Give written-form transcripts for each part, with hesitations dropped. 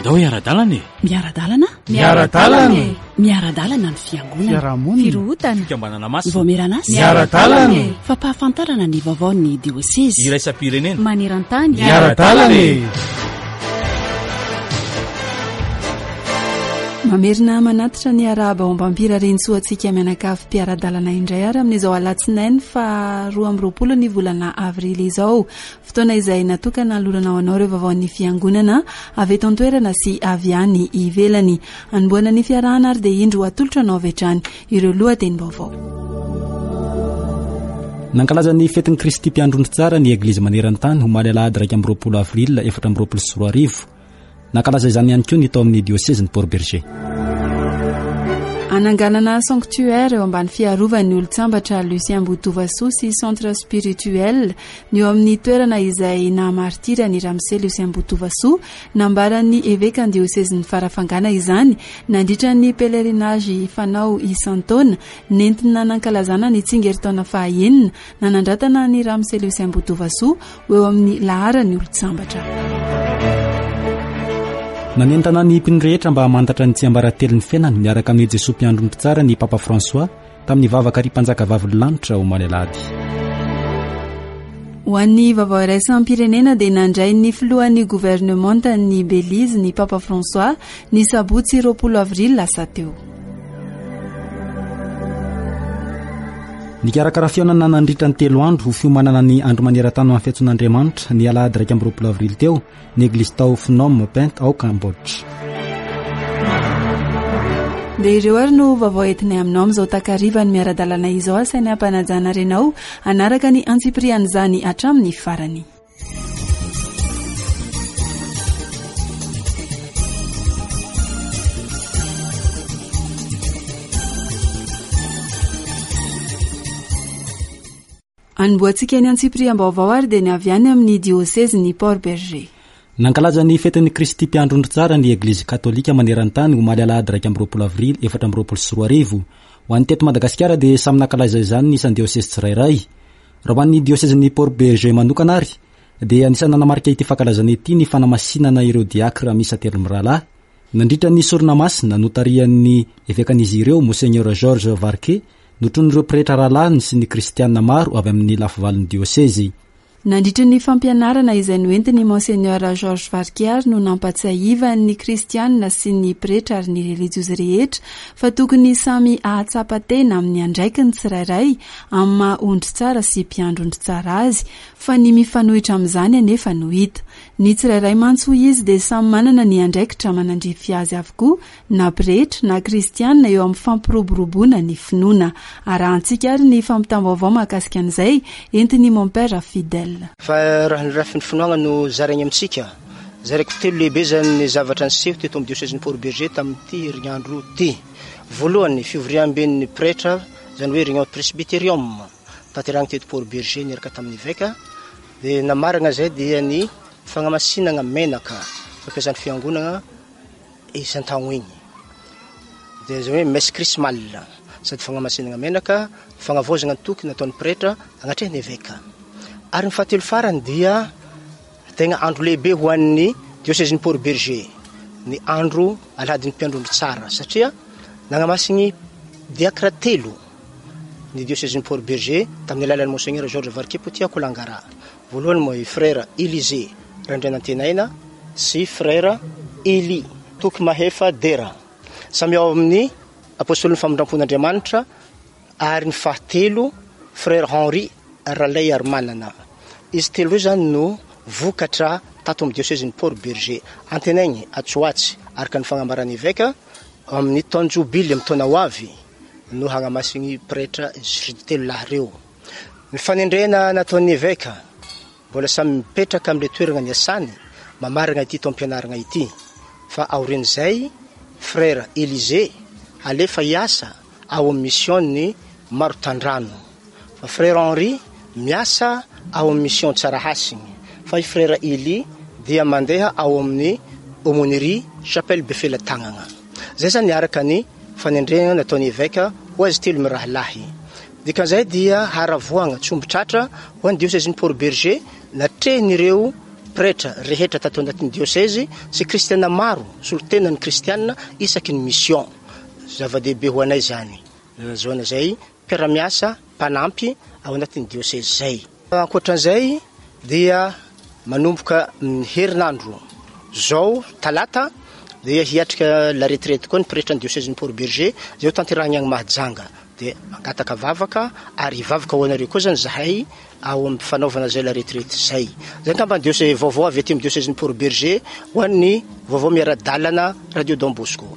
Andao hiara-dalana e! Miara-dalana? Miara-dalana e! Miara-dalana ny fiangonana. Fiarahamonina. Firohotana. Fikambanana masina. Vaomieran'asa. Miara-dalana e! Fampahafantarana ny vaovaon'ny diosezy. Iraisam-pirenena. Maneran-tany. Miara-dalana e! Mamerina manatitra ny arahaba ao Ambampirarintsoa antsika mianakavy mpiara-dalana indray ary amin'izao alatsinainy faha 22 ny volana avrily izao. Fotoana izay natokana hanolorana ho anao ireo vaovaon'ny Fiangonana avy eto an-toerana sy avy any ivelany. Hanombohana ny fiarahana ary dia indro atolotra anao avy hatrany ireo lohatenim-baovao. Nankalaza ny fetin'i Kristy Mpiandry Ondry Tsara ny Eglizy maneran-tany omaly alahady 21 avril 2024. Nankalaza izany ihany koa ny tao amin'ny diosezin'i Port-Bergé. Hananganana sanctuaire eo ambany fiarovan'ny olon-tsambatra Lucien Botovasoa sy centre spirituel ny eo amin'ny toerana izay naha-martiry an'i Ramose Lucien Botovasoa. Nambaran'ny evekan'ny diosezin'i Farafangana izany nandritra ny pèlerinage fanao isan-taona nentina nankalazana ny tsingerin-taona faha-enina nanandratana an'i Ramose Lucien Botovasoa ho eo amin'ny laharan'ny olon-tsambatra. Nanentana ny mpino rehetra mba hamantatra ny tsiambaratelon'ny fiainany miaraka amin'i Jesoa Mpiandry Mpitsara ny Papa François tamin'ny vavaka Ry Mpanjaka Vavin'ny Lanitra omaly alahady. Ho an'ny vaovao iraisam-pirenena dia nandray ny filohan'ny governemantan'i Belize ny Papa François ny sabotsy 20 avrily lasa teo. Nikarakara fihaonana nandritra ny telo andro ho fiomanana ny Andro maneran-tany ho an'ny fiantsoan'Andriamanitra ny alahady 21 avrily teo ny eglizy tao Phnom Penh ao Cambodge. Dia ireo ary no vaovao entinay aminao amin'izao takariva ny miara-dalana izao asainay ampanajana renao hanaraka ny antsipirian'izany hatramin'ny farany. Anombohantsika ny antsipiriam-baovao ary dia ny avy any amin'ny diosezin'i Port-Bergé. Nankalaza ny fetin'i Kristy Mpiandry Ondry Tsara ny Eglizy Katolika maneran-tany omaly alahady 21 avrily 2024. Ho an'ny teto Madagasikara dia samy nankalaza izany ny isan-diosezy tsirairay. Raha ho an'ny diosezin'i Port-Bergé manokana ary dia anisan'ny nanamarika ity fankalazana ity ny fanamasinana ireo diakra miisa telo mirahalahy nandritra ny sorona masina notarihan'ny evekan'izy ireo Monseigneur Georges Varquet notronin'ireo pretra rahalahiny sy ny kristiana maro avy amin'ny lafivalon'ny diosezy. Nandritra ny fampianarana izay noentin'i Monseigneur Georges Varquet ary no nampatsiahivany ny kristiana sy ny pretra ary ny relijiozy rehetra fa tokony samy hahatsapa tena amin'ny andraikiny tsirairay amin'ny maha ondry tsara sy mpiandry ondry tsara azy fa ny mifanohitra amin'izany anefa no hita. Ny tsirairay mantsy hoy izy dia samy manana ny andraikitra manandrify azy avokoa na pretra na kristiana eo amin'ny fampiroboroboana ny finoana. Arahantsika ary ny fampitam-baovao mahakasika an'izay entin'i Mompera Fidèle. Fa raha ny lafiny finoagna no zaraigny amintsika, zaraiko telo lehibe zany ny zavatra niseho teto amin'ny diosezin'i Port-Bergé tamin'ity herignandro ity. Voalohany, fivoriamben'ny pretra, izany hoe réunion presbyterium, tanterahigny teto Port-Bergé niaraka tamin'ny eveka, dia namaragna izay dia ny fagnamasinagna menaka fampiasan'ny fiangonagna isan-taogno igny. Dia izay hoe messe chrismale, sady fagnamasinagna menaka, fagnavaozagna ny toky nataon'ny pretra agnatrehan'ny eveka. Ary ny fahatelo farany dia tegna andro lehibe ho an'ny diosezin'i Port-Bergé, ny andro alahadin'ny mpiandry ondry tsara, satria nagnamasigny diakra telo ny diosezin'i Port-Bergé tamin'ny alalan'i Monseigneur Georges Varquet Potia Kolangara. Voalohany moa i Frère Elysée Randrianantenaina sy Frère Elie Toky Mahefa Dera, samy ao amin'ny Apostolin'ny Famindrampon'Andriamanitra, ary ny fahatelo Frère Henri Ralaiarimanana. Izy telo ireo izany no vokatra tato amin'ny diosezin'i Port Bergé. Antenainy atsy ho atsy, araka ny fagnambaran'ny Eveka, amin'ny taon-jobily amin'ny taona ho avy no hagnamasin'ny pretra izy telo lahy ireo. Ny fanendrena nataon'ny eveka, mbola samy mipetraka amin'ilay toerana niasany mamarana ity taom-pianarana ity, fa aorian'izay Frère Elysée halefa hiasa ao amin'ny mission-n'ny Marotandrano, fa Frère Henri miasa ao amin'ny mission Tsarahasina, fa i Frère Elie dia mandeha ao amin'ny Aumônerie Chapelle Befelatanana. Izay izany araka ny fanendrena nataon'ny eveka ho azy telo mirahalahy. Dikan'izay dia haravoagna tsy omby tratra ho an'ny diosezin'i Port-Bergé natrehin'ireo pretra rehetra tato anatin'ny diosezy sy kristiana maro, solontenan'ny kristiana isaky ny mission. Zava-dehibe ho anay izany. Nahazoana izay mpiara-miasa mpanampy ao anatin'ny diosezy izay. Ankoatran'izay dia manomboka ny herinandro izao talata dia hiatrika la retraite koa ny pretran'ny diosezin'i Port Bergé izay ho tanterahina any Mahajanga. Dia mangataka vavaka ary hivavaka ho anareo koa izany izahay ao amin'ny fanaovana izay la retraite izay. Izay angamba ny diose vaovao avy aty amin'ny diosezin'i Port Bergé ho an'ny vaovao miara-dalana Radio Don Bosco.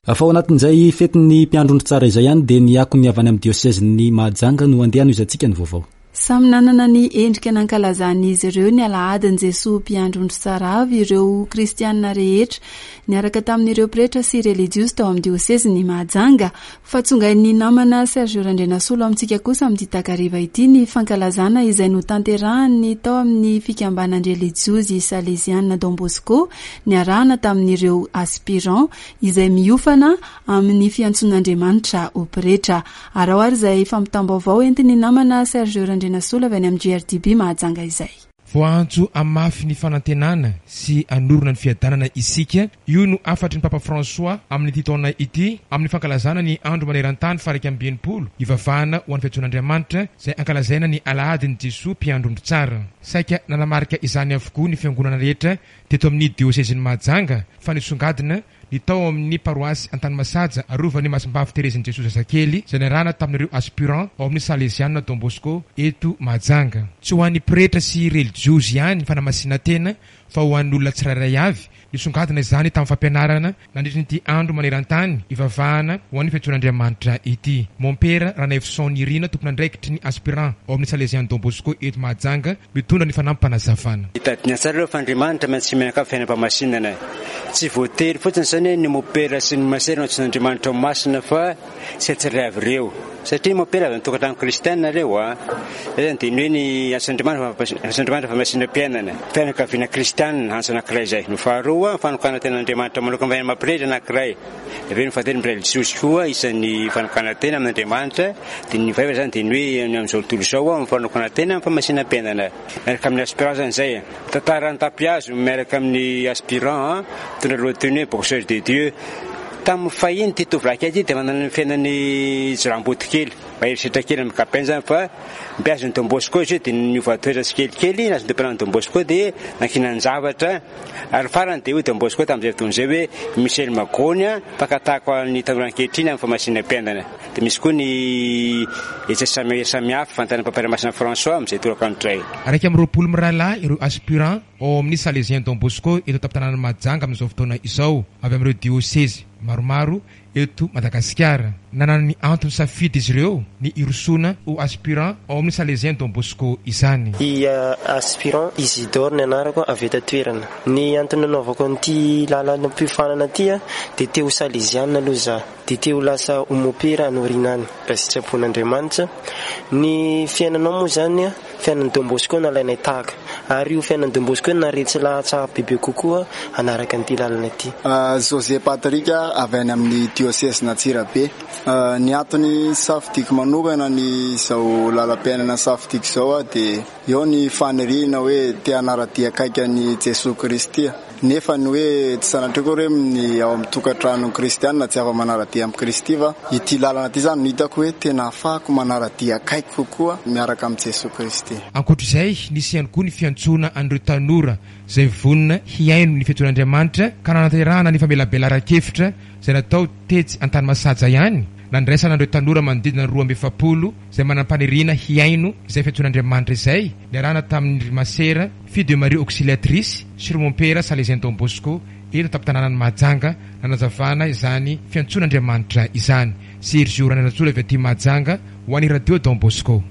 Fa ao anatin'izay fetin'ny mpiandry ondry tsara izay ihany dia ny akon'ny avy any amin'ny diosezin'i Mahajanga no andeha hanohizantsika ny vaovao. Samy nanana ny endrika nankalazan'izy ireo ny alahadin'i Jesoa Mpiandry Ondry Tsara avy ireo kristianina rehetra niaraka tamin'ireo pretra sy relijiozy tao amin'ny diosezin'i Mahajanga. Fa tsongain'ny namana Sergio Randrianasolo amintsika kosa amin'ity takariva ity ny fankalazana izay notanterahan'ny tao amin'ny fikambanan-drelijiozy Saleziana Don Bosco niarahana tamin'ireo aspirants izay miofana amin'ny fiantsoan'Andriamanitra ho pretra. Araho ary izay fampitam-baovao entin'ny namana Sergio Randrianasolo avy any amin'ny GRDB Mahajanga izay. Voaantso hamafy ny fanantenana sy hanorina ny fiadanana isika, io no hafatry ny Papa François amin'ity taona ity amin'ny fankalazana ny Andro maneran-tany faha-61 hivavahana ho an'ny fiantsoan'Andriamanitra izay ankalazaina ny Alahadin'i Jesoa Mpiandry Ondry Tsara. Saika nanamarika izany avokoa ny fiangonana rehetra teto amin'ny diosezin'i Mahajanga fa nisongadina ny tao amin'ny paroasy Antanimasaja arovan'i Masimbavy Terezin'i Jesoa Zazakely izay niarahana tamin'ireo aspirants ao amin'ny Saleziana Don Bosco eto Mahajanga. Tsy ho an'ny pretra sy relijiozy ihany ny fanamasinan-tena fa ho an'ny olona tsirairay avy. Nisongadina izany tamin'ny fampianarana nandritra ity andro maneran-tany ivavahana ho an'ny fiantsoan'Andriamanitra ity. Mompera Ranaivoson Nirina, tompon'andraikitry ny aspirants ao amin'ny Saleziana Don Bosco eto Mahajanga, Mitondra ny fanampim-panazavana. Tadidina tsara aloha fa Andriamanitra maintsy mianakavy fiainam-pahamasinana e. Tsy voatery fotsiny izany hoe ny mopera sy ny masera no antsoin'Andriamanitra ho masina fa tsy tsirairay avy ireo. Satria ny mopera avy amin'ny tokantrano kristiana ireo a. Izay izany dia ny hoe ny antsoin'Andriamanitra antsoin'Andriamanitra fahamasinam-piainana. Fianakaviana kristiana antso anankiray izay. Ny faharoa, fanokanan-tenan'Andriamanitra manokana amin'ny maha-pretra anankiray. Avy eo ny fahatelo ny relijiozy koa isan'ny fanokanan-tena amin'Andriamanitra, dia ny fahefatra izany dia ny hoe ny amin'izao tontolo izao amin'ny fanokanan-tena amin'ny famasinam-piainana miaraka amin'ny aspirant izany izay. Tantara an-tapihazo miaraka amin'ny aspirant mitondra lohateny hoe boxeur de Dieu. Tamin'ny fahiny ity tovolahy kely ity dia manana ny fiainan'ny jiramboto kely, mahery setra kely amin'ny ankapobeny izany fa mpiazon'ny Don Bosco izy io dia niova toetra tsikelikely, nahazo ny tompon'an'ny Don Bosco dia nankinan-javatra. Ary farany dia hoy Don Bosco tamin'izay fotoana izay hoe i Michel Magony mpankatako ny tanora ankehitriny amin'ny famasinam-piainana. Dia misy koa ny hetsika samy samihafa fantaran'ny Papa Masina François amin'izay tolakandro izay. 21 mirahalahy ireo aspirants ao amin'ny Salésien Don Bosco eto an-tampon-tanànan'i Mahajanga amin'izao fotoana izao, avy amin'ireo diosezy maromaro eto Madagasikara. Nanana ny antony safidy izy ireo ny hirosoana ho aspirant ao amin'ny Salésien Don Bosco izany. I aspirant Isidore ny anarako avy eto an-toerana. Ny antony nanaovako an'ity lalam-piofanana ity dia te ho Saleziana aloha za, dia te ho lasa ho mopera any aoriana any raha sitrapon'Andriamanitra. Ny fiainanao moa izany Fiainan'i Don Bosco nalainay tahaka, ary io fiainan'i Don Bosco io naharetsy lahatra bebe kokoa hanaraka an'ity lalana ity. José Patrick avy any amin'ny diosezin'Antsirabe. Ny antony safidiako manokana ny izao lalam-piainana safidiako izao dia eo ny faniriana hoe te hanara-dia akaiky an'i Jesoa Kristy. Nefa ny hoe tsy sanatria akory hoe ny ao amin'ny tokantrano kristiana tsy afa-manara-dia amin'i Kristy fa ity lalana ity izany no hitako hoe tena ahafahako manara-dia akaiky kokoa miaraka amin'i Jesoa Kristy. Ankoatra izay, nisy ihany koa ny fiantsoana an'ireo tanora izay vonona hihaino ny fiantsoan'Andriamanitra ka nanatanterahana ny famelabelaran-kevitra izay natao tetsy Antanimasaja ihany, nandraisana an'ireo tanora manodidina ny 42 izay manam-paniriana hihaino izay fiantsoan'Andriamanitra izay, niarahana tamin'ny ry Masera Fille de Marie Auxiliatrice sy ry Mompera Salésien Don Bosco eto an-tampon-tanànan'i Mahajanga nanazavana izany fiantsoan'Andriamanitra izany. Sergio Randrianatsola avy aty Mahajanga ho an'ny Radio Don Bosco.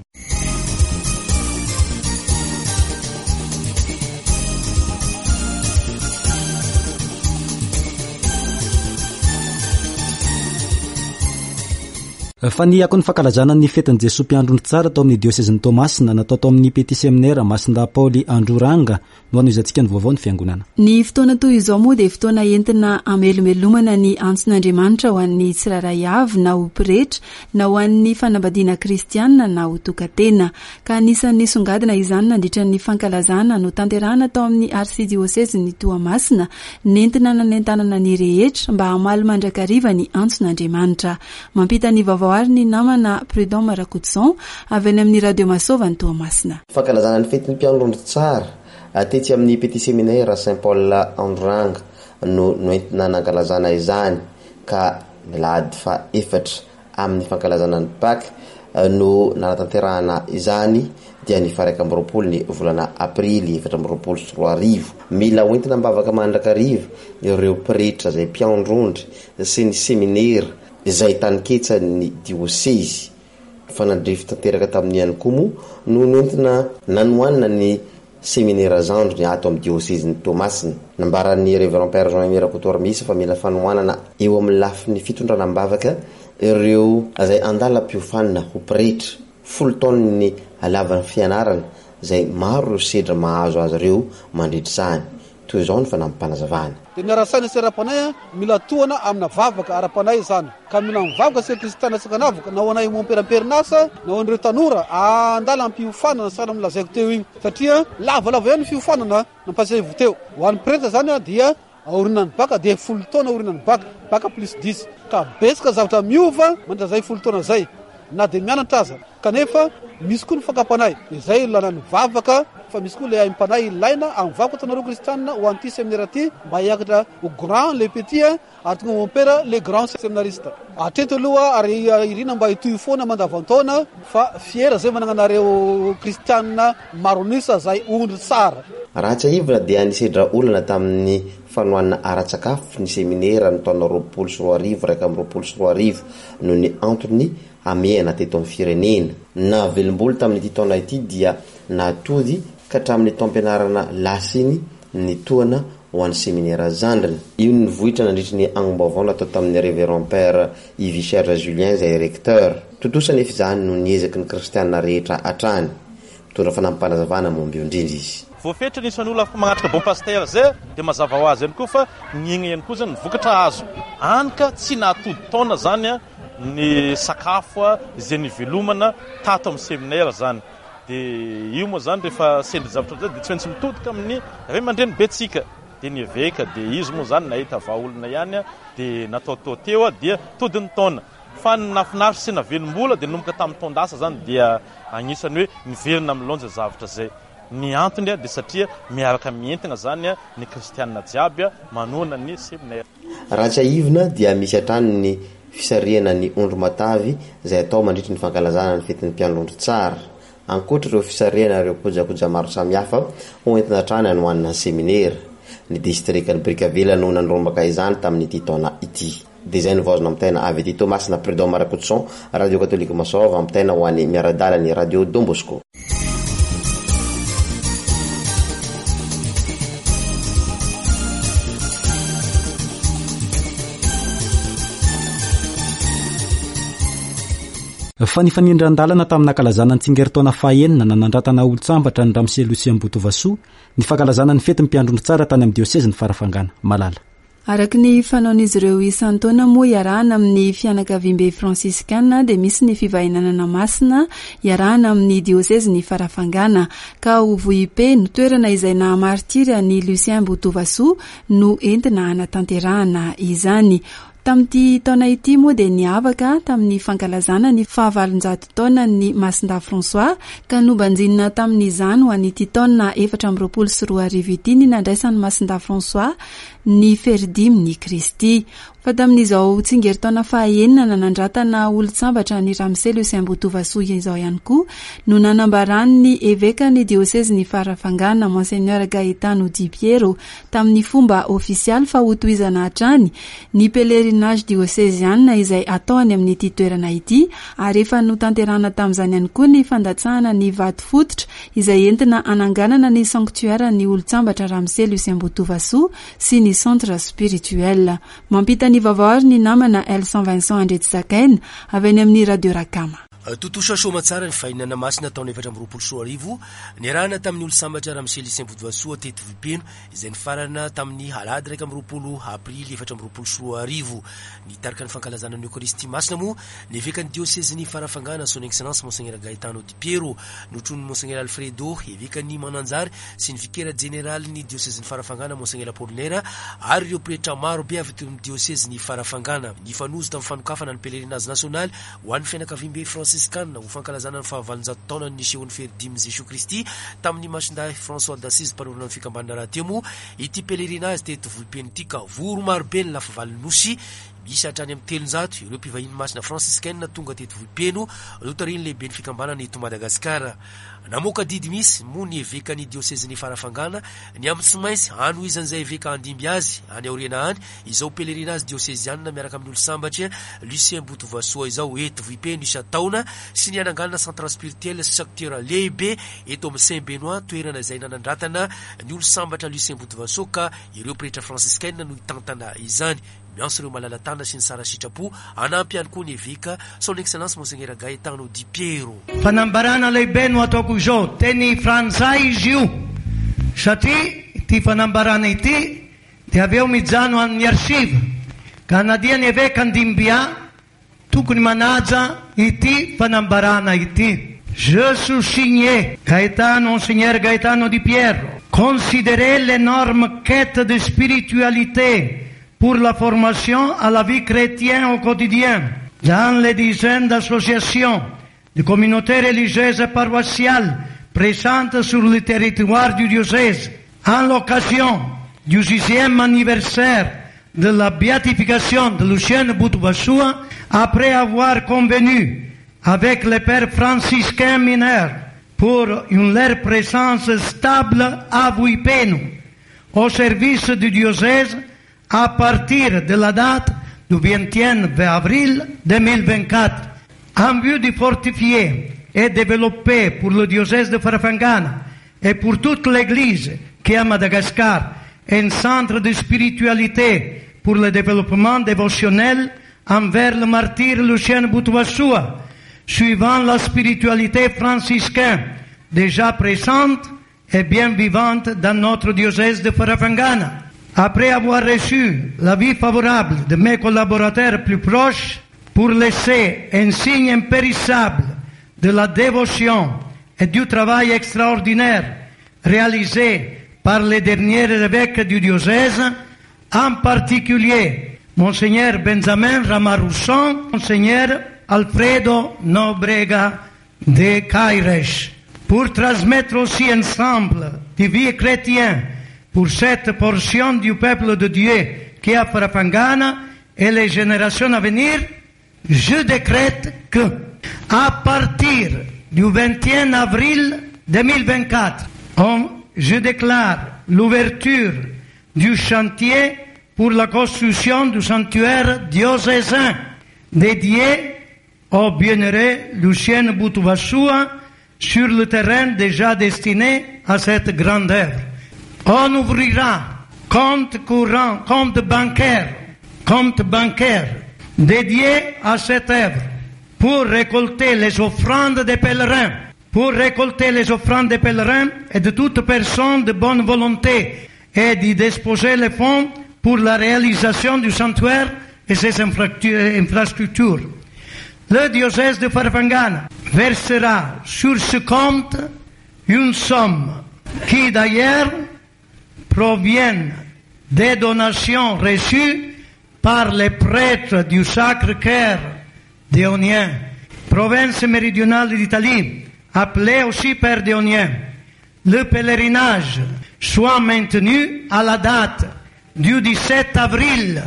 Fa ny akon'ny fankalazana ny fetin'i Jesoa Mpiandry Ondry Tsara tao amin'ny diosezin'i Toamasina, natao tao amin'ny Petit Séminaire Masindahy Paoly Androranga, no hanohizantsika ny vaovao ny Fiangonana. Ny fotoana toy izao moa dia fotoana entina hamelombelomana ny antson'Andriamanitra ho an'ny tsirairay avy na ho pretra na ho an'ny fanambadiana kristiana na ho tokan-tena. Ka anisan'ny nisongadina izany nandritra ny fankalazana notanterahana tao amin'ny Arsidiosezin'i Toamasina nentina nanentanana ny rehetra mba hamaly mandrakariva ny antson'Andriamanitra. Mampita ny vaovao àry ny namana Prud'homme Rakotoson avy any amin'ny Radio Masova any Toamasina. Fankalazana ny fetin'ny mpiandry ondry tsara, tetsy amin'ny Petit Séminaire Saint Paul Androranga no noentina nankalazana izany ka ny alahady faha efatra amin'ny fankalazana ny Paka no nanatanterahana izany dia ny faha 21 ny volana aprily 2024. Mila hoentina am-bavaka mandrakariva ireo pretra izay mpiandry ondry sy ny seminera izay taninketsan'ny diosezy. Nifanandrify tanteraka tamin'io ihany koa moa no nentina nanohanana ny seminera zandriny ato amin'ny diosezin'i Toamasina. Nambaran'ny Révérend Père Jean Aimé Rakotoarimisa fa mila fanohanana eo amin'ny lafiny fitondrana am-bavaka ireo izay andalam-piofanana ho pretra. Folo taona ny halavan'ny fianarana izay maro ireo sedra mahazo azy ireo mandritra izany. Toy izao ny fanampim-panazavana. Dia miara-saina sy ara-panahy, mila tohana amina vavaka ara-panahy izany. Ka mila mivavaka isika kristiana tsy ankanavaka, na ho anay mompera am-perinasa, na ho an'ireo tanora andalam-piofanana sahala amin'ny lazaiko teo iny. Satria lavalava ihany ny fiofanana nampahatsiahivo teo. Ho an'ny pretra izany dia aorinan'ny baka dia folo taona aorinan'ny baka, baka plus dix. Ka betsaka zavatra miova mandritra izay folo taona izay, na dia mianatra aza. Kanefa misy koa ny fakam-panahy, izay ilana ny vavaka, fa misy koa ilay aim-panahy ilaina amin'ny vavaka ataonareo kristianina ho an'ity seminera ity mba hiakatra ho grand le petit ary tonga ho mompera le grand seminariste. Hatreto aloha ary irina mba hitohy foana mandavan-taona fa fier zay manana anareo kristianina maro an'isa zay ondry tsara. Raha tsiahivina dia nisedra olana tamin'ny fanohanana ara-tsakafo ny seminera ny taona 2020 2021 noho ny antony hamehana teto amin'ny firenena. Nahavelom-bolo tamin'ity taona ity dia nahatody ka hatramin'ny taom-pianarana lasa iny ny tohana ho an'ny seminera zandriny. Io no nivoitra nandritry ny angom-baovao natao tamin'ny Révérend Père Yvicher Julien izay Recteur. Tontosa anefa izany noho ny ezaky ny kristiana rehetra hatrany. Mitondra fanampim-panazavana momba io indrindra izy. Voafetra ny isan'ny olona afaka manatrika bon pasteur zay dia mazava ho azy ihany koa fa nihena ihany koa zany ny vokatra azo. Any ka tsy nahatody taona zany ny sakafo izay nivelomana tato amin'ny seminaire zany. Dia io moa zany rehefa sendra zavatra ohatr'izay dia tsy maintsy mitodika amin'ny ray aman-dreny be tsika. Dia ny eveka dia izy moa zany nahita vahaolana ihany dia nataotao teo dia tody ny taona. Fa ny nahafinaritra sy nahavelom-bola dia nanomboka tamin'ny taon-dasa zany dia agnisan'ny hoe niverina amin'ny laonja zavatra izay. Ny antony dia satria miaraka mientigna zany ny kristiana jiaby manohana ny seminaire. Raha tsiahivina dia misy hatrany ny fisarihana ny ondry matavy izay atao mandritry ny fankalazana ny fetin'ny mpiandry ondry tsara. Ankoatra ireo fisarihana ireo kojakoja maro samihafa ho entina hatrany hanohanana ny seminera. Ny distrikan'i Brickaville no nandrombaka izany tamin'ity taona ity. Dia izay no vao azo nampitaina avy aty Toamasina Prud'homme Rakotoson, Radio Katolika Masôva, ampitaina ho an'ny miara-dalana ny Radio Don Bosco. Fa nifanindran-dalana tamin'ny nankalazana ny tsingerin-taona fahaenina nanandratana olon-tsambatra ny Ramose Lucien Botovasoa ny fankalazana ny fetin'ny mpiandry ondry tsara tany amin'ny diosezin'i Farafangana. Malala. Araka ny fanaon'izy ireo isan-taona moa iarahana amin'ny fianakaviambe fransiskana dia misy ny fivahinanana masina iarahana amin'ny diosezin'i Farafangana ka ao Vohipeno, toerana izay naha-martiry an'i Lucien Botovasoa no entina hanatanterahana izany. Tamin'ity taona ity moa dia niavaka tamin'ny fankalazana ny fahavalonjato taonan'ny Masindahy François ka nobanjinina tamin'izany ho an'ity taona 2024 ity ny nandraisan'i Masindahy François ny feridimin'i Kristy. Fa tamin'izao tsingerin-taona fahaenina nanandratana olon-tsambatra an'i Ramose Lucien Botovasoa izao ihany koa no nanambaran'ny evekan'ny diosezin'i Farafangana, Monseigneur Gaetano Di Piero, tamin'ny fomba ofisialy fa hotohizana hatrany ny pèlerinage dioseziana izay atao any amin'ity toerana ity ary efa notanterahana tamin'izany ihany koa ny fandatsahana ny vato fototra izay entina hananganana ny sanctuaire ny olon-tsambatra Ramose Lucien Botovasoa sy ny centre spirituel. Mampita ny. ny vaovao ary ny namana Elson Vincent Andriatsizakaina avy any amin'ny Radio Rakama. Tontosa soamatsara ny fahinana masina taona 2024 niarahana tamin'ny Olosambatra Ramose Lucien Bodovasoa teto Vohipeno izay nifarana tamin'ny alahady 21 aprily 2024. Nitarika ny fankalazana ny Eokaristia Masina moa ny evekan'ny diosezin'i Farafangana Son Excellence Monseigneur Gaetano Di Piero, notronin'i Monseigneur Alfredo, evekan'i Mananjary sy ny vikera jeneralin'ny diosezin'i Farafangana Monseigneur Apollinaire ary ireo pretra maro be avy eto amin'ny diosezin'i Farafangana. Nifanojo tamin'ny fanokafana ny pèlerinage nasionaly ho an'ny fianakaviambe fransiskana ho fankalazana ny fahavalonjato taonan'ny nisehoan'ny fery dimin'i Jesoa Kristy tamin'ny Masindahy François d'Assise mpanorina ny fikambanana rahateo moa ity pèlerinage teto Vohipeno ity ka vory marobe ny lafivalin'ny Nosy. Miisa hatrany amin'ny 300 ireo mpivahiny masina fransiskaina tonga teto Vohipeno notarihin'ny lehiben'ny fikambanana eto Madagasikara. Namoaka didy misy moa ny evekan'ny diosezin'i Farafangana ny amin'ny tsy maintsy hanohizan'izay eveka handimby azy any aoriana any izao pèlerinage diosezianina miaraka amin'ny Olosambatry Lucien Botovasoa izao eto Vohipeno isan-taona sy ny hananganana centre spirituel sy sanctuaire lehibe eto amin'ny Saint Benoît toerana izay nanandratana ny Olosambatra Lucien Botovasoa ka ireo pretra fransiskaina no hitantana izany. Miantso ireo malala-tanana sy ny tsara sitrapo hanampy ihany koa ny eveka, Son Excellence Monseigneur Gaetano Di Piero. Fanambarana lehibe no ataoko izao, teny frantsay izy io, satria ity fanambarana ity dia avy eo mijano amin'ny archive, ka na dia ny eveka Ndimbia tokony manaja ity fanambarana ity. Je soussigné Gaetano Monseigneur Gaetano Di Pierro, considérer l'énorme quête de spiritualité pour la formation à la vie chrétienne au quotidien dans les dizaines d'associations de communautés religieuses et paroissiales présentes sur le territoire du diocèse en l'occasion du sixième anniversaire de la béatification de Lucien Boutoubachoua, après avoir convenu avec les pères franciscains mineurs pour une leur présence stable à Vuipeno, au service du diocèse à partir de la date du 21 avril 2024, en vue de fortifier et développer pour le diocèse de Farafangana et pour toute l'Église qui est à Madagascar un centre de spiritualité pour le développement dévotionnel envers le martyr Lucien Boutouassoua, suivant la spiritualité franciscaine déjà présente et bien vivante dans notre diocèse de Farafangana. Après avoir reçu l'avis favorable de mes collaborateurs plus proches, pour laisser un signe impérissable de la dévotion et du travail extraordinaire réalisé par les derniers évêques du diocèse, en particulier Monseigneur Benjamin Ramarousson, Monseigneur Alfredo Nobrega de Caires, pour transmettre aussi ensemble de vie chrétienne pour cette portion du peuple de Dieu qui est à Farafangana et les générations à venir, je décrète que, à partir du 21 avril 2024, je déclare l'ouverture du chantier pour la construction du sanctuaire diocésain dédié au bienheureux Lucien Boutouassoua sur le terrain déjà destiné à cette grande œuvre. On ouvrira compte courant, compte bancaire, compte bancaire dédié à cette œuvre pour récolter les offrandes des pèlerins, pour récolter les offrandes des pèlerins et de toute personne de bonne volonté et d'y disposer les fonds pour la réalisation du sanctuaire et ses infrastructures. Le diocèse de Farfangana versera sur ce compte une somme qui d'ailleurs provient des donations reçues par les prêtres du Sacré-Cœur d'Éonien, province méridionale d'Italie, appelée aussi Père d'Éonien. Le pèlerinage soit maintenu à la date du 17 avril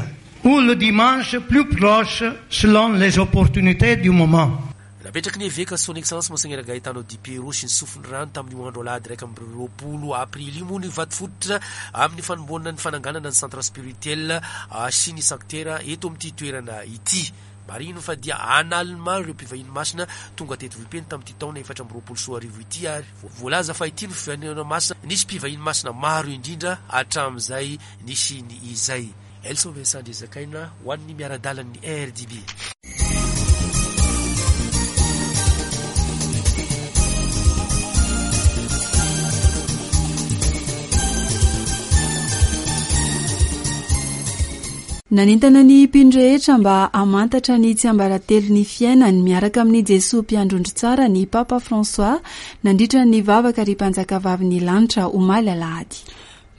ou le dimanche plus proche selon les opportunités du moment. Napetraky ny eveka Son Excellence Monseigneur Gaetano Di Piero sy ny sofiny rano tamin'io andro alahady 21 aprily io moa ny vatofototra amin'ny fanombohana ny fananganana ny centre spirituel sy ny sanctuaire eto amin'ity toerana ity. Marihina fa dia an'aliny maro ireo mpivahiny masina tonga teto Vohipeno tamin'ity taona 2024 ity ary voalaza fa ity no fivahiniana masina nisy mpivahiny masina maro indrindra hatramin'izay nisiany izay. Elson Vincent Andriazakaina ho an'ny miara-dalan'ny RDB. Nanentana ny mpino rehetra mba hamantatra ny tsiambaratelon'ny fiainany miaraka amin'i Jesoa Mpiandry ondry tsara ny Papa François nandritra ny vavaka ry Mpanjakavavin'ny lanitra omaly alahady.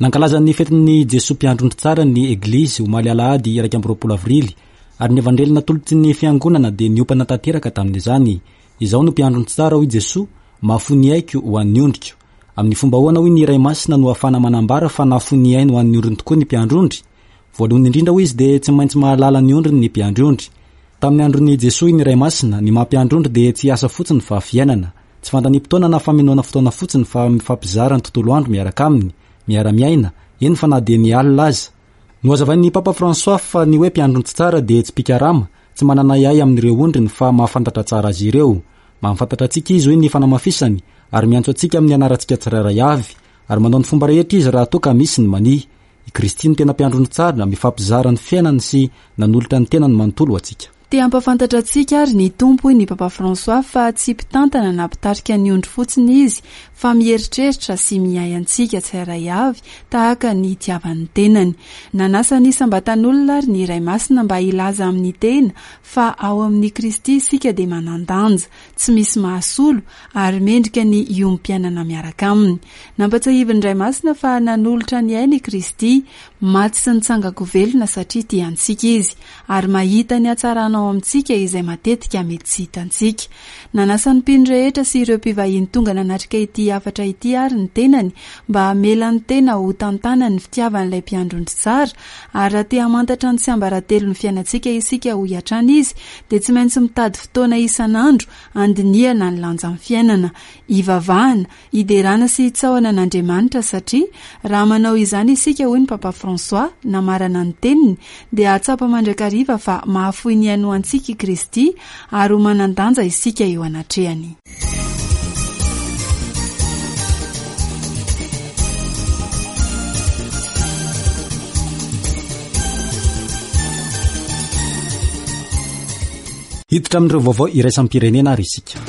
Nankalaza ny fetin'i Jesoa Mpiandry ondry tsara ny Eglizy omaly alahady 21 avrily ary ny Evanjely natolotry ny Fiangonana dia niompana tanteraka tamin'izany. Izaho no mpiandry ondry tsara hoy Jesoa, mahafoy ny aiko ho an'ny ondriko. Amin'ny fomba ahoana hoy ny Ray Masina no ahafahana manambara fa nahafoy ny ainy ho an'ny ondriny tokoa ny mpiandry ondry? Voalohany indrindra hoy izy dia tsy maintsy mahalala ny ondriny ny mpiandry ondry. Tamin'ny andron'i Jesoa hoy ny Ray Masina, ny maha mpiandry ondry dia tsy asa fotsiny fa fiainana. Tsy fandaniam-potoana na famenoana fotoana fotsiny fa mifampizara ny tontolo andro miaraka aminy, miara-miaina, eny fa na dia ny alina aza. Nohazavain'ny Papa François fa ny hoe mpiandry ondry tsara dia tsy mpikarama, tsy manana ahiahy amin'ireo ondriny fa mahafantatra tsara azy ireo. Mahafantatra antsika izy hoy ny fanamafisany ary miantso antsika amin'ny anarantsika tsirairay avy ary manao ny fomba rehetra izy raha toa ka misy ny mania. I Kristy no tena mpiandry ondry tsara, mifampizara ny fiainany sy nanolotra ny tenany manontolo ho antsika. Te hampahafantatra antsika ary ny Tompo hoy ny Papa François fa tsy mpitantana na mpitarika ny ondry fotsiny Izy fa mieritreritra sy miahy antsika tsirairay avy tahaka ny itiavan'ny tenany. Nanasa ny isam-batan'olona ary ny Ray Masina mba hilaza amin'ny tena fa ao amin'i Kristy isika dia manan-danja, tsy misy mahasolo ary mendrika ny hiombom-piainana miaraka Aminy. Nampatsiahivin'ny Ray Masina fa nanolotra ny ainy i Kristy, maty sy nitsangan-ko velona satria tia antsika Izy, ary mahita ny hatsarana ao amintsika izay matetika mety tsy hitantsika. Nanasa ny mpino rehetra sy ireo mpivahiny tonga nanatrika ity hafatra ity àry ny tenany mba hamela ny tena ho tantanan'ny fitiavan'ilay Mpiandry ondry tsara, ary raha te hamantatra ny tsiambaratelon'ny fiainantsika isika hoy hatrany izy dia tsy maintsy mitady fotoana isan'andro handinihana ny lanjan'ny fiainana, hivavahana, hiderana sy hitsaohana an'Andriamanitra satria raha manao izany isika hoy ny Papa François namarana ny teniny dia hahatsapa mandrakariva fa mahafoy ny ainy ho antsika i Kristy ary ho manan-danja isika eo anatrehany. Hiditra amin'ireo vaovao iraisam-pirenena ary isika.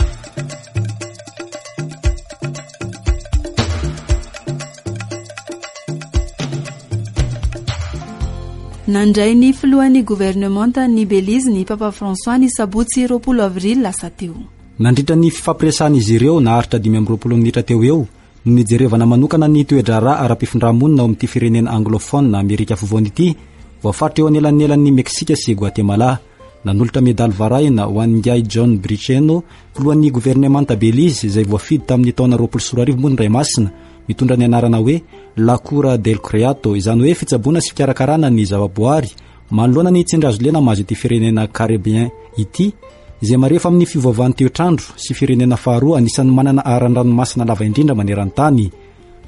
Nandray ny filohan'ny governemantan'i Belize ny Papa François ny sabotsy 20 avrily lasa teo. Nandritra ny fifampiresahan'izy ireo naharitra 25 minitra teo ho eo no nijerevana manokana ny toe-draharaha ara-pifindramonina ao amin'ity firenena anglophone Amerika Afovoany ity, voafaritra eo anelanelan'i Meksika sy Guatemala. Nanolotra medaly varahina ho an'ingahy John Briceno, filohan'ny governemanta Belize izay voafidy tamin'ny taona 2020 moa ny Ray Masina, mitondra ny anarana hoe La Cura del Creato, izany hoe fitsaboana sy fikarakarana ny zavaboary, manoloana ny tsindry hazo lena mahazo ity firenena Caribien ity, izay marefo amin'ny fiovaovan'ny toetr'andro sy firenena faharoa anisan'ny manana aran-dranomasina lava indrindra maneran-tany.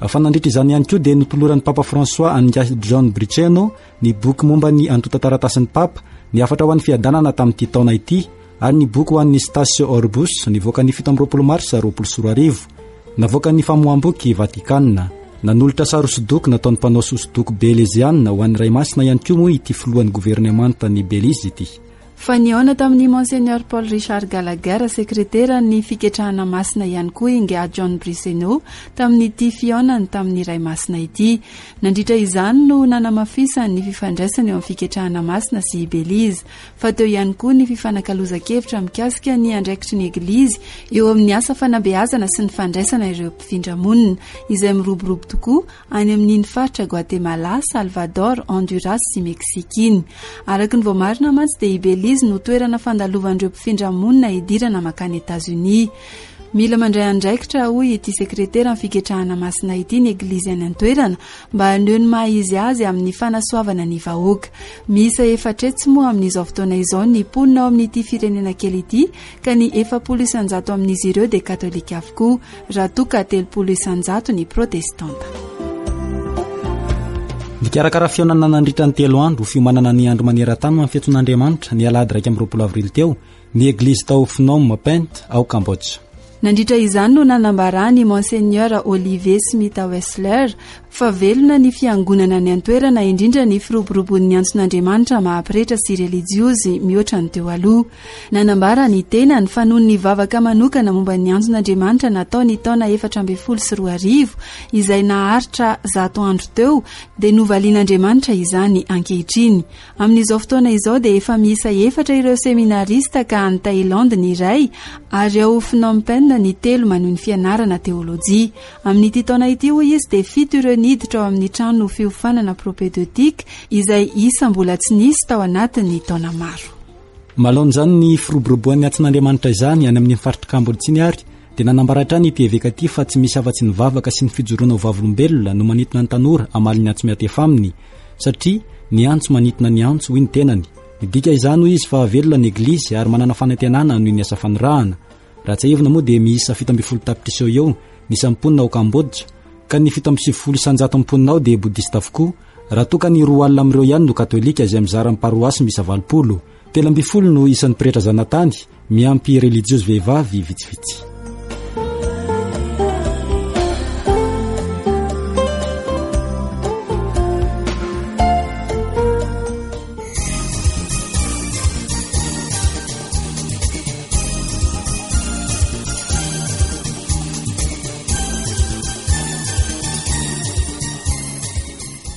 Fa nandritra izany ihany koa dia notoloran'ny Papa François an'ingahy John Briceno ny boky momba ny antontan-taratasin'ny Papa, ny hafatra ho an'ny fiadanana tamin'ity taona ity, ary ny boky ho an'ny Stasio Orbus nivoaka ny 27 marsa 2020. Navoakan'ny famoaham-boky Vatikana. Nanolotra sary hosodoko nataon'ny mpanao hosodoko Belizeana ho an'ny Ray Masina ihany koa moa ity filohan'ny governemantan'i Belize ity. Fa nihaona tamin'ny Monseigneur Paul Richard Gallagher, sekreteran'ny Fiketrahana Masina ihany koa Ingahy John Briceno tamin'ity fihaonany tamin'ny Ray Masina ity. Nandritra izany no nanamafisany ny fifandraisana eo amin'ny Fiketrahana Masina sy i Belize. Fa teo ihany koa ny fifanakalozan-kevitra mikasika ny andraikitry ny Eglizy eo amin'ny asa fanabeazana sy ny fandraisana ireo mpifindra monina, izay miroborobo tokoa any amin'iny faritra Guatemala, Salvador, Honduras sy Mexique iny. Araka ny voamarina mantsy dia i Belize no toerana fandalovan'ireo mpifindra monina hidirana mankany Etazonia. Mila mandray andraikitra, hoy ity sekreteran'ny Fiketrahana Masina ity, ny Eglizy any an-toerana mba haneho ny maha izy azy amin'ny fanasoavana ny vahoaka. Miisa 400 moa amin'izao fotoana izao ny mponina ao amin'ity firenena kely ity ka ny 40 isan-jato amin'izy ireo dia katolika avokoa. raha toa ka 30 isan-jato ny protestanta. Nikarakara fihaonana nandritra ny telo andro ho fiomanana ny Andro maneran-tany ho an'ny fiantsoan'Andriamanitra ny alahady 21 avrily teo ny Eglizy tao Phnom Penh ao Cambodge. Nandritra izany no nanambaran'i Monseigneur Olivier Smith Wessler fa velona ny fiangonana any an-toerana indrindra ny firoborobon'ny antson'Andriamanitra maha pretra sy relijiozy mihoatra ny teo aloha. Nanambara ny tenany fa noho ny vavaka manokana momba ny antson'Andriamanitra natao ny taona 2014 izay naharitra 100 andro teo dia novalian'Andriamanitra izany ankehitriny. Amin'izao fotoana izao dia efa miisa efatra ireo seminarista ka any Thaïlande ny iray ary ao Phnom Penh ny telo manohy ny fianarana teolojia. Amin'ity taona ity hoy izy dia fito ireo niditra ao amin'ny trano fiofanana propédeutique izay isa mbola tsy nisy tao anatin'ny taona maro. Manoloana izany ny firoboroboan'ny antsin'Andriamanitra izany any amin'iny faritr'i Kambodza iny ary dia nanambara hatrany ity eveka ity fa tsy misy afa-tsy ny vavaka sy ny fijoroana ho vavolombelona no manintona ny tanora hamaly ny antso miantefa aminy satria ny antso manintona ny antso hoy ny tenany. Midika izany hoy izy fa velona ny Eglizy ary manana fanantenana hanohy ny asa fanirahana. Raha tsiahivina moa dia miisa 17 tapitrisa eo eo ny isan'ny mponina ao Kambodza ka ny 97 isan-jaton'ny mponina ao dia bodista avokoa raha toa ka ny 20 amin'ireo ihany no katolika izay mizara amin'ny paroasy miisa 80. 13 no isan'ny pretra zanatany miampy relijiozy vehivavy vitsivitsy.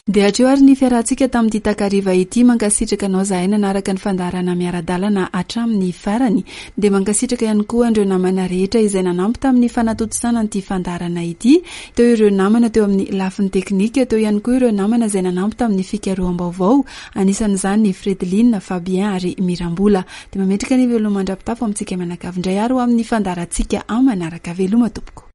Dia hatreo ary ny fiarahantsika tamin'ity takariva ity. Mankasitraka anao zahay nanaraka ny fandaharana miara-dalana hatramin'ny farany. Dia mankasitraka ihany koa an'ireo namana rehetra izay nanampy tamin'ny fanatontosana an'ity fandaharana ity. Teo ireo namana teo amin'ny lafiny teknika, teo ihany koa ireo namana izay nanampy tamin'ny fikaroham-baovao, anisan'izany Fredeline, Fabien ary Mirambola. Dia mametraka ny veloma mandra-pitafo amintsika mianakavy indray ary ho amin'ny fandaharantsika manaraka. Veloma tompoko.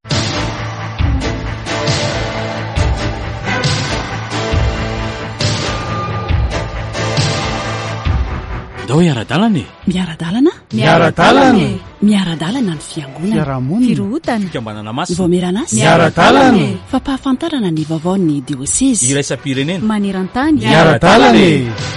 Ndao hiara-dalana e! Miara-dalana? Miara-dalana e! Miara-dalana ny fiangonana. Fiarahamonina. Firohotana. Fikambanana masina. Vaomieran'asa. Miara-dalana e! Fampahafantarana ny vaovaon'ny diosezy. Iraisam-pirenena. Maneran-tany. Miara-dalana e!